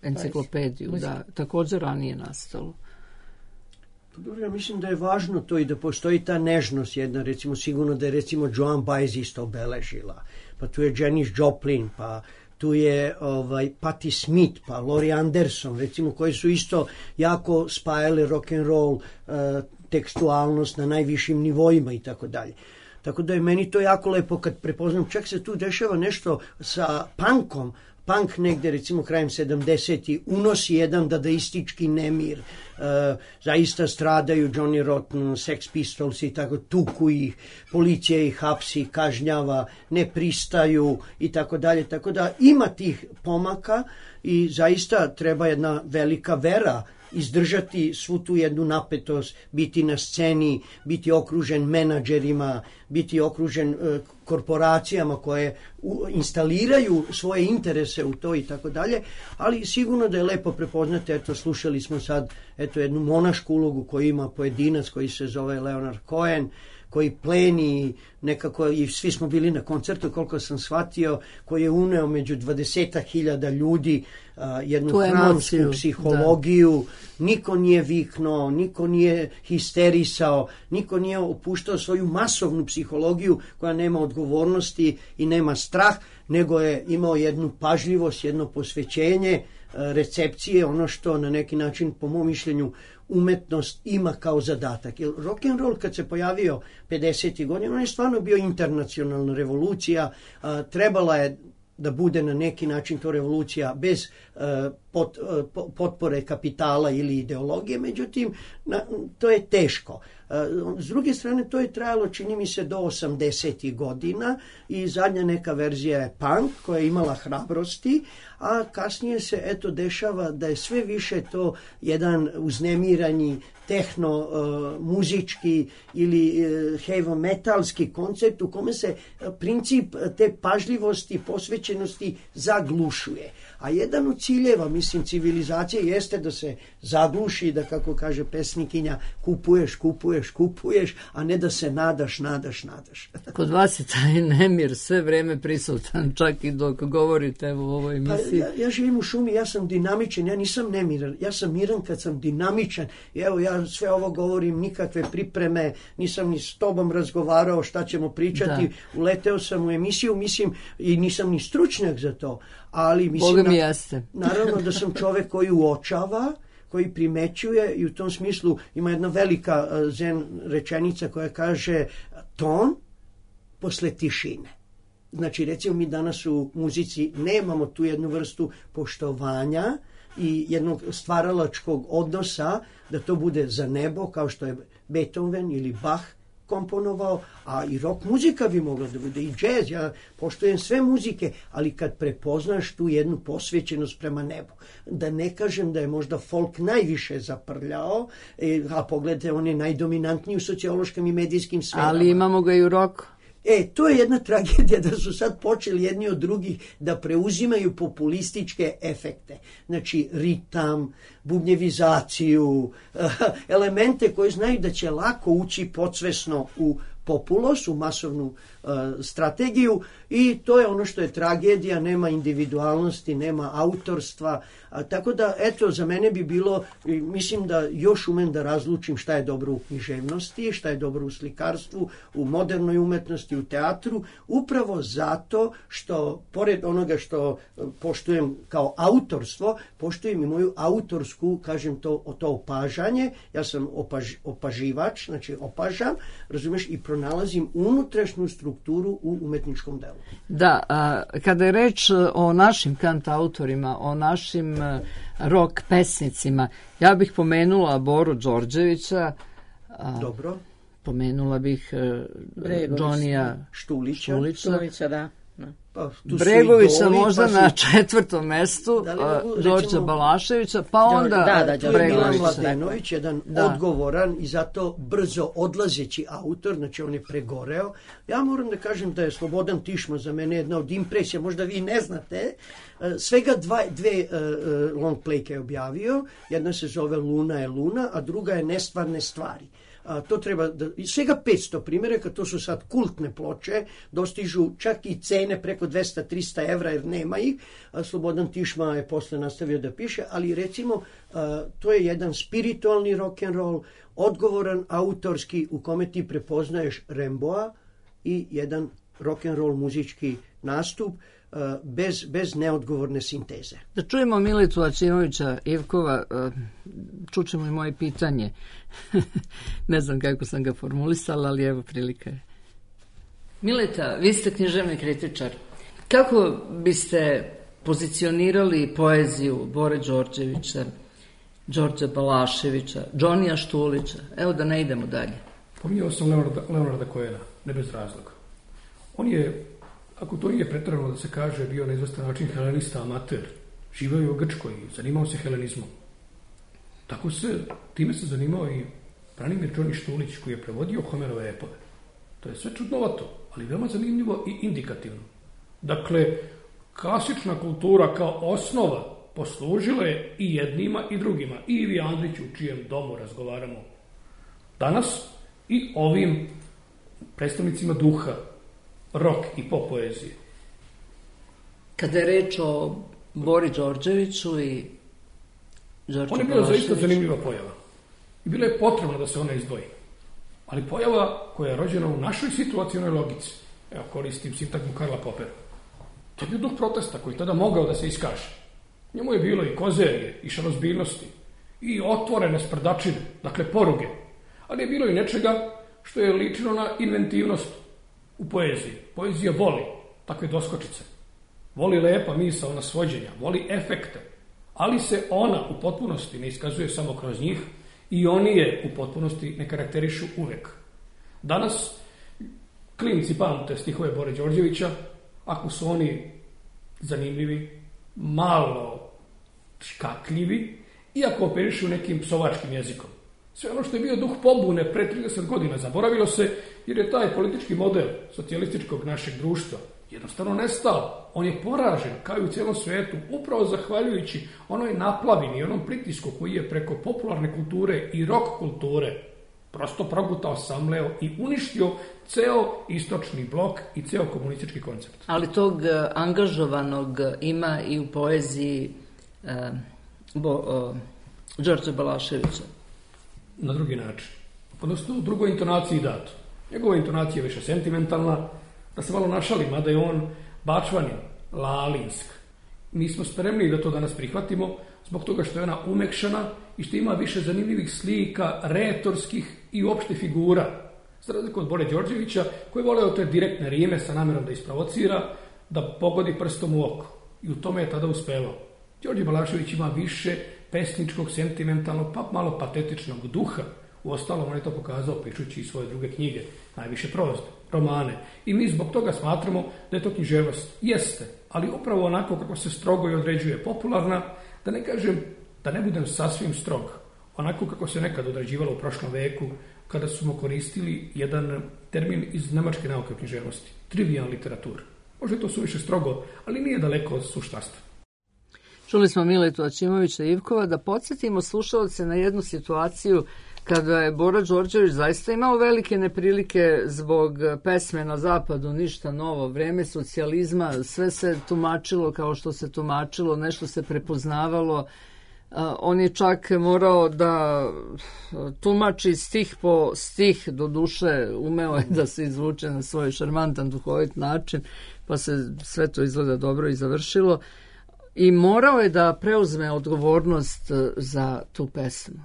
enciklopediju, da također ranije nastalo. Dobro, ja mislim da je važno to i da postoji ta nežnost jedna, recimo sigurno da je recimo Joan Baez isto obeležila, pa tu je Janis Joplin, pa tu je ovaj, Patti Smith, pa Laurie Anderson, recimo, koji su isto jako spajali rock and roll, uh, tekstualnost na najvišim nivoima i tako dalje. Tako da je meni to jako lepo kad prepoznam, čak se tu dešava nešto sa punkom, punk negde recimo krajem sedamdesetih unosi jedan dadaistički nemir, e, zaista stradaju Johnny Rotten, Sex Pistols i tako, tuku ih, policija ih hapsi, kažnjava, ne pristaju i tako dalje, tako da ima tih pomaka i zaista treba jedna velika vera izdržati svu tu jednu napetost, biti na sceni, biti okružen menadžerima, biti okružen e, korporacijama koje u, instaliraju svoje interese u to i tako dalje, ali sigurno da je lepo prepoznati, eto slušali smo sad eto jednu monašku ulogu koju ima pojedinac koji se zove Leonard Cohen, koji pleni nekako, i svi smo bili na koncertu koliko sam shvatio, koji je uneo među dvadesetak hiljada ljudi uh, jednu hramsku psihologiju, da. Niko nije viknuo, niko nije histerisao, niko nije opuštao svoju masovnu psihologiju koja nema odgovornosti i nema strah, nego je imao jednu pažljivost, jedno posvećenje, uh, recepcije, ono što na neki način po mom mišljenju umetnost ima kao zadatak. Jer rock and roll kad se pojavio pedesetih godina, on je stvarno bio internacionalna revolucija, a, trebala je da bude na neki način to revolucija bez a, pot, a, potpore kapitala ili ideologije, međutim na, to je teško. S druge strane, to je trajalo, čini mi se, do osamdesetih godina i zadnja neka verzija je punk koja je imala hrabrosti, a kasnije se eto dešava da je sve više to jedan uznemiranji tehno, uh, muzički ili uh, heavy metalski koncept u kome se uh, princip te pažljivosti, posvećenosti zaglušuje. A jedan od ciljeva, mislim, civilizacije jeste da se zagluši, da, kako kaže pesnikinja, kupuješ, kupuješ, kupuješ, a ne da se nadaš, nadaš, nadaš. Kod vas je taj nemir sve vreme prisutan, čak i dok govorite evo, u ovoj emisiji. Pa, ja, ja živim u šumi, ja sam dinamičan, ja nisam nemiran, ja sam miran kad sam dinamičan. I evo, ja sve ovo govorim, nikakve pripreme, nisam ni s tobom razgovarao šta ćemo pričati, da. Uleteo sam u emisiju, mislim, i nisam ni stručnjak za to. Ali mislim, Boga mi jeste. Naravno da sam čovek koji uočava, koji primećuje i u tom smislu ima jedna velika zen rečenica koja kaže ton posle tišine. Znači, recimo, mi danas u muzici nemamo tu jednu vrstu poštovanja i jednog stvaralačkog odnosa da to bude za nebo, kao što je Beethoven ili Bach komponovao, a i rock muzika bi mogla da bude, i džez, ja poštujem sve muzike, ali kad prepoznaš tu jednu posvećenost prema nebu, da ne kažem da je možda folk najviše zaprljao, a pogledajte, on je najdominantniji u sociološkim i medijskim sferama. Ali imamo ga i u roku. E, to je jedna tragedija da su sad počeli jedni od drugih da preuzimaju populističke efekte. Znači, ritam, bubnjevizaciju, elemente koje znaju da će lako ući podsvesno u populos, u masovnu uh, strategiju, i to je ono što je tragedija, nema individualnosti, nema autorstva, a, tako da, eto, za mene bi bilo, mislim da još umem da razlučim šta je dobro u književnosti, šta je dobro u slikarstvu, u modernoj umetnosti, u teatru, upravo zato što, pored onoga što poštujem kao autorstvo, poštujem i moju autorsku, kažem to, to opažanje, ja sam opaž, opaživač, znači opažam, razumeš, i pronalazim unutrašnju strukturu u umetničkom delu. Da, a, kada je reč o našim kantautorima, o našim a, rock pesnicima, ja bih pomenula Boru Đorđevića. A, Dobro. Pomenula bih Džonija Štulića. Štulića. Štulića, da. Pa, Bregovića idoli, možda pa su... na četvrtom mestu, Đorđa Balaševića, pa onda da, da, Bregovića. Milan Mladenović, jedan da. odgovoran i zato brzo odlazeći autor, znači on je pregoreo. Ja moram da kažem da je Slobodan Tišma za mene jedna od impresija, možda vi ne znate, svega dva, dve uh, long playke je objavio, jedna se zove Luna je luna, a druga je Nestvarne stvari. A, to treba da, svega petsto primjeraka, to su sad kultne ploče, dostižu čak i cene preko dvesta do trista evra jer nema ih. A, Slobodan Tišma je posle nastavio da piše, ali recimo a, to je jedan spiritualni rock'n'roll, odgovoran autorski u kome ti prepoznaješ Remboa i jedan rock'n'roll muzički nastup bez, bez neodgovorne sinteze. Da čujemo Militu Aćimovića Ivkova, čućemo i moje pitanje. Ne znam kako sam ga formulisala, ali evo prilika je. Mileta, vi ste književni kritičar. Kako biste pozicionirali poeziju Bore Đorđevića, Đorđa Balaševića, Džonija Štulića? Evo da ne idemo dalje. Pominjao sam Leonarda, Leonarda Cohena, ne bez razloga. On je, ako to nije pretjerano da se kaže, bio na izvestan način helenista amater, živeo je u Grčkoj i zanimao se helenizmom. Tako se, time se zanimao i Branimir Džoni Štulić, koji je prevodio Homerove epove. To je sve čudnovato, ali veoma zanimljivo i indikativno. Dakle, klasična kultura kao osnova poslužila je i jednima i drugima. I Ivi Andriću, u čijem domu razgovaramo danas, i ovim predstavnicima duha, rock i pop poezije. Kada je reč o Bori Đorđeviću i Đorđu On je bila zaista zanimljiva pojava. I bilo je potrebno da se ona izdvoji. Ali pojava koja je rođena u našoj situacionoj logici, evo koristim sintagmu Karla Popera, to je bio duh protesta koji tada mogao da se iskaže. Njemu je bilo i kozerije, i šalozbiljnosti, i otvorene sprdačine, dakle poruge, ali je bilo i nečega što je ličilo na inventivnost u poeziji. Poezija voli takve doskočice. Voli lepa misaona svođenja, voli efekte, ali se ona u potpunosti ne iskazuje samo kroz njih, I oni je u potpunosti ne karakterišu uvek. Danas klinci pamte stihove Bore Đorđevića, ako su oni zanimljivi, malo škakljivi, iako operišu nekim psovačkim jezikom. Sve ono što je bio duh pobune pre trideset godina zaboravilo se, jer je taj politički model socijalističkog našeg društva jednostavno nestao. On je poražen, kao i u cijelom svijetu, upravo zahvaljujući onoj naplavini, onom pritisku koji je preko popularne kulture i rock kulture prosto progutao, samleo i uništio ceo istočni blok i ceo komunistički koncept. Ali tog angažovanog ima i u poeziji eh, Bo, uh, Đorđa Balaševića. Na drugi način. Odnosno u drugoj intonaciji dato. Njegova intonacija je više sentimentalna, da se malo našali, mada je on bačvanin, lalinsk. Mi smo spremni da to danas prihvatimo zbog toga što je ona umekšana i što ima više zanimljivih slika, retorskih i uopšte figura. Za razliku od Bore Đorđevića, koji je voleo te direktne rime sa namjerom da isprovocira, da pogodi prstom u oko. I u tome je tada uspevao. Đorđe Balašević ima više pesničkog, sentimentalnog, pa malo patetičnog duha. Uostalom, on je to pokazao pišući i svoje druge knjige, najviše proze, romane. I mi zbog toga smatramo da je to književnost. Jeste, ali upravo onako kako se strogo i određuje popularna, da ne kažem, da ne budem sasvim strog, onako kako se nekad određivalo u prošlom veku, kada smo koristili jedan termin iz nemačke nauke o književnosti, trivial literatura. Možda je to suviše strogo, ali nije daleko od suštastva. Čuli smo Miletu Aćimovića Ivkova. Da podsjetimo slušalce na jednu situaciju kada je Bora Đorđević zaista imao velike neprilike zbog pesme Na zapadu, ništa novo, vreme socijalizma, sve se tumačilo kao što se tumačilo, nešto se prepoznavalo. On je čak morao da tumači stih po stih, do duše umeo je da se izvuče na svoj šarmantan, duhovit način, pa se sve to izgleda dobro i završilo. I morao je da preuzme odgovornost za tu pesmu.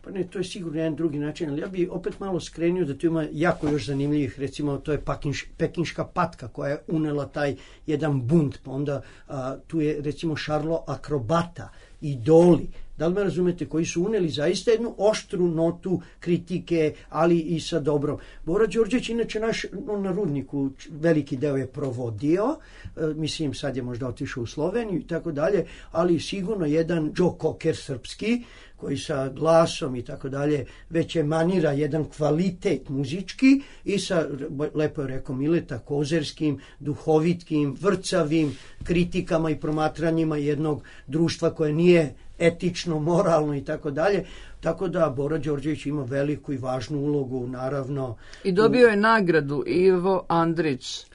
Pa ne, to je sigurno jedan drugi način, ali ja bi opet malo skrenio da tu ima jako još zanimljivih, recimo to je Pakinš, Pekinška patka koja je unela taj jedan bunt, pa onda a, tu je recimo Šarlo Akrobata, Idoli, da li me razumete, koji su uneli zaista jednu oštru notu kritike, ali i sa dobrom. Bora Đorđević, inače naš on na Rudniku veliki deo je provodio, e, mislim sad je možda otišao u Sloveniju i tako dalje, ali sigurno jedan Joe Cocker srpski, koji sa glasom i tako dalje već emanira jedan kvalitet muzički i sa, lepo je rekao Mileta, kozerskim, duhovitkim, vrcavim kritikama i promatranjima jednog društva koje nije etično, moralno i tako dalje. Tako da Bora Đorđević ima veliku i važnu ulogu, naravno. I dobio je nagradu Ivo Andrić,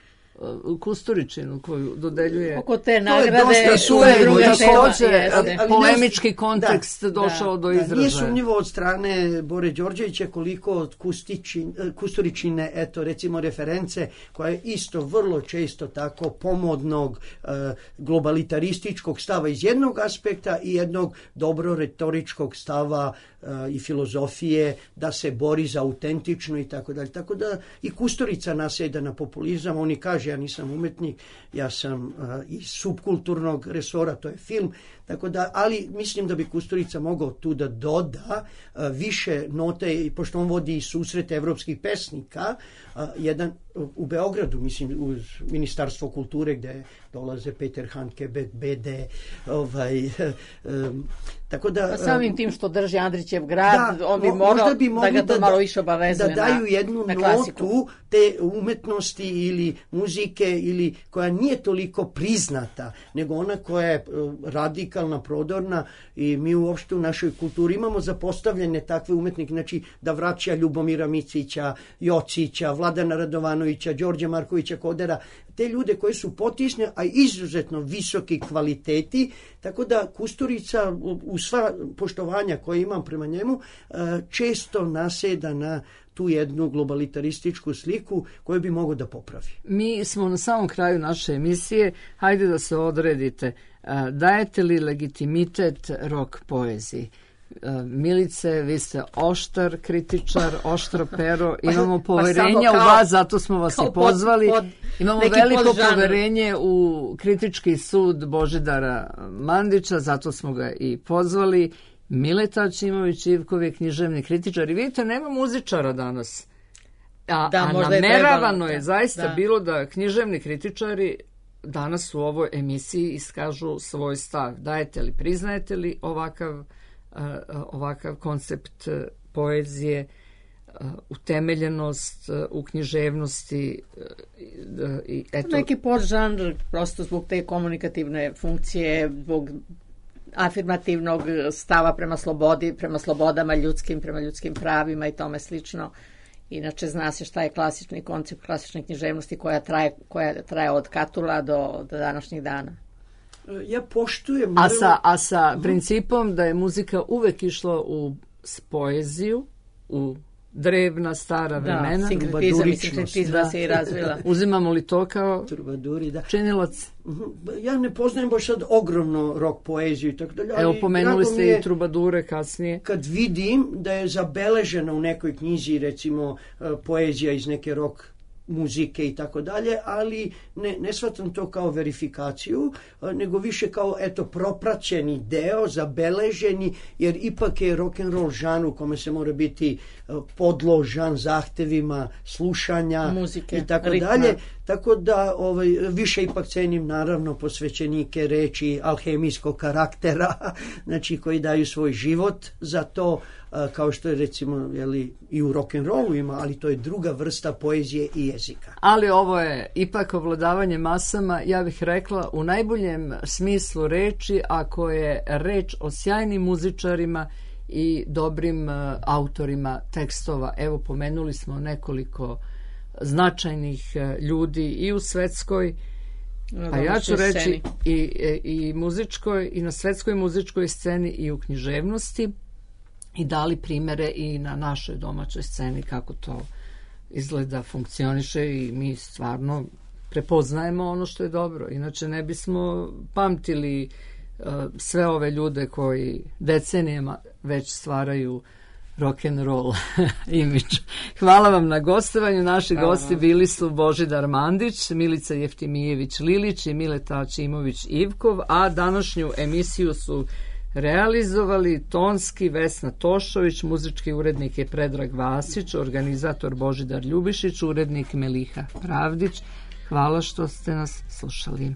Kusturičinu, koju dodeljuje. Oko te nagrade tu je također polemički kontekst da, došao da, do izražaja. Nije sumnjivo od strane Bore Đorđevića koliko od Kustičin, Kusturičine, eto recimo reference, koja je isto vrlo često tako pomodnog e, globalitarističkog stava iz jednog aspekta i jednog dobro retoričkog stava e, i filozofije da se bori za autentično i tako dalje. Tako da i Kusturica nasjeda na populizam, oni kaže ja nisam umetnik, ja sam uh, iz subkulturnog resora, to je film, tako da, ali mislim da bi Kusturica mogao tu da doda uh, više note, i pošto on vodi susret evropskih pesnika, uh, jedan uh, u Beogradu, mislim, uz Ministarstvo kulture gde dolaze Peter Handke, Bede, ovaj, um, tako da... Pa samim tim što drži Andrićev grad, da, on bi morao bi da ga to da, malo više obavezuje da daju jednu na, na notu te umetnosti ili muzike ili koja nije toliko priznata, nego ona koja je radikalna, prodorna i mi uopšte u našoj kulturi imamo zapostavljene takve umetnike, znači da vraća Ljubomira Micića, Jocića, Vladana Radovanovića, Đorđa Markovića Kodera, te ljude koji su potisne, a izuzetno visoki kvaliteti, tako da Kusturica u sva poštovanja koje imam prema njemu često naseda na tu jednu globalitarističku sliku koju bi mogao da popravi. Mi smo na samom kraju naše emisije. Hajde da se odredite. Dajete li legitimitet rock poeziji? Milice, vi ste oštar kritičar, oštro pero, imamo poverenja pa u vas, zato smo vas i pozvali. Pod, pod, imamo veliko podžanr. Poverenje u kritički sud Božidara Mandića, zato smo ga i pozvali. Mileta Ačimović Ivkov je književni kritičar i vidite, nema muzičara danas. A, Da, a možda je nameravano trebalo, je da, zaista da. bilo da književni kritičari danas u ovoj emisiji iskažu svoj stav. Dajete li, priznajete li ovakav, uh, ovakav koncept uh, poezije, uh, utemeljenost uh, u književnosti uh, i eto... Neki podžanr, prosto zbog te komunikativne funkcije, zbog afirmativnog stava prema slobodi, prema slobodama ljudskim, prema ljudskim pravima i tome slično. Inače, zna se šta je klasični koncept klasične književnosti koja traje, koja traje od Katula do, do današnjih dana. Ja poštujem... A sa, a sa principom da je muzika uvek išla u poeziju, u drevna, stara vremena. Da, sinkretizam i sinkretizma se i razvila. Uzimamo li to kao Trubaduri, da. činilac? Ja ne poznajem baš sad ogromno rock poeziju i tako dalje. Evo, ali pomenuli drago mi ste je i Trubadure kasnije. Kad vidim da je zabeležena u nekoj knjizi, recimo, poezija iz neke rock muzike i tako dalje, ali ne, ne shvatam to kao verifikaciju, nego više kao, eto, propraćeni deo, zabeleženi, jer ipak je rock'n'roll žan u kome se mora biti podložan zahtevima slušanja muzike, i tako ritma. dalje. Tako da ovaj, više ipak cenim naravno posvećenike reči alhemijskog karaktera, znači koji daju svoj život za to, kao što je recimo jeli, i u rock'n'rollu ima, ali to je druga vrsta poezije i jezika. Ali ovo je ipak ovladavanje masama, ja bih rekla u najboljem smislu reči, ako je reč o sjajnim muzičarima i dobrim uh, autorima tekstova. Evo, pomenuli smo nekoliko značajnih uh, ljudi i u svetskoj, a ja ću reći i, i, i muzičkoj, i na svetskoj muzičkoj sceni i u književnosti, i dali primere i na našoj domaćoj sceni kako to izgleda, funkcioniše i mi stvarno prepoznajemo ono što je dobro. Inače ne bismo pamtili uh, sve ove ljude koji decenijama već stvaraju rock'n'roll imidž. Hvala vam na gostovanju. Naši Hvala gosti vam. Bili su Božidar Mandić, Milica Jeftimijević-Lilić i Mileta Ačimović Ivkov, a današnju emisiju su realizovali tonski Vesna Tošović, muzički urednik je Predrag Vasić, organizator Božidar Ljubišić, urednik Meliha Pravdić. Hvala što ste nas slušali.